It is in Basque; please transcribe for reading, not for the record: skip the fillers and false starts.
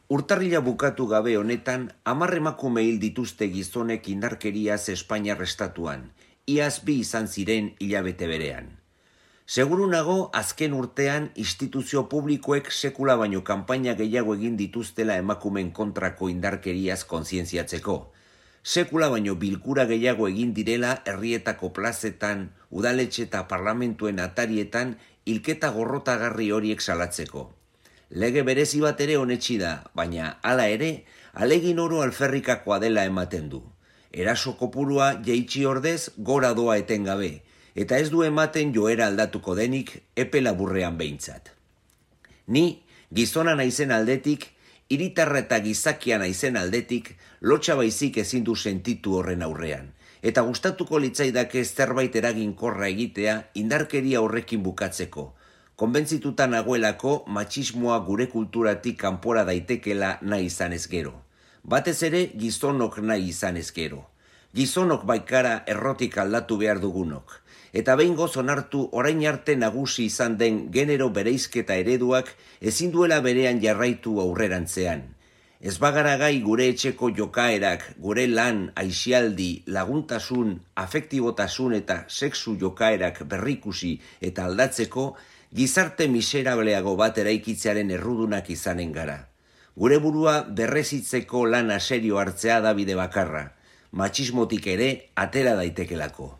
Urtarrila bukatu gabe honetan, 10 emakume hil dituzte gizonek indarkeriaz Espainiar estatuan, iaz 2 izan ziren hilabete berean. Seguru nago, azken urtean, instituzio publikoek sekula baino kanpaina gehiago egin dituztela emakumen kontrako indarkeriaz kontzientziatzeko. Sekula baino bilkura gehiago egin direla herrietako plazetan, udaletxe eta parlamentuen atarietan hilketa gorrotagarri horiek salatzeko. Lege berezi bat ere onetsi da, baina hala ere, alegin oro alferrikakoa dela ematen du. Eraso kopurua jaitsi ordez gora doa etengabe, eta ez du ematen joera aldatuko denik epe laburrean behintzat. Ni, gizona naizen aldetik, hiritarra eta gizakia naizen aldetik, lotsa baizik ezin du sentitu horren aurrean, eta gustatuko litzaidake zerbait eraginkorra egitea indarkeria horrekin bukatzeko, konbentzituta nagoelako matxismoa gure kulturatik kanpora daitekela nahi izanez gero. Batez ere gizonok nahi izanez gero. Gizonok baikara errotik aldatu behar dugunok. Eta behingoz onartu orain arte nagusi izan den genero bereizketa ereduak ezin duela berean jarraitu aurrerantzean. Ez bagara gai gure etxeko jokaerak, gure lan, aisialdi, laguntasun, afektibotasun eta sexu jokaerak berrikusi eta aldatzeko, gizarte miserableago bat eraikitzearen errudunak izanen gara. Gure burua berrezitzeko lana serio hartzea da bide bakarra, matxismotik ere atera daitekelako.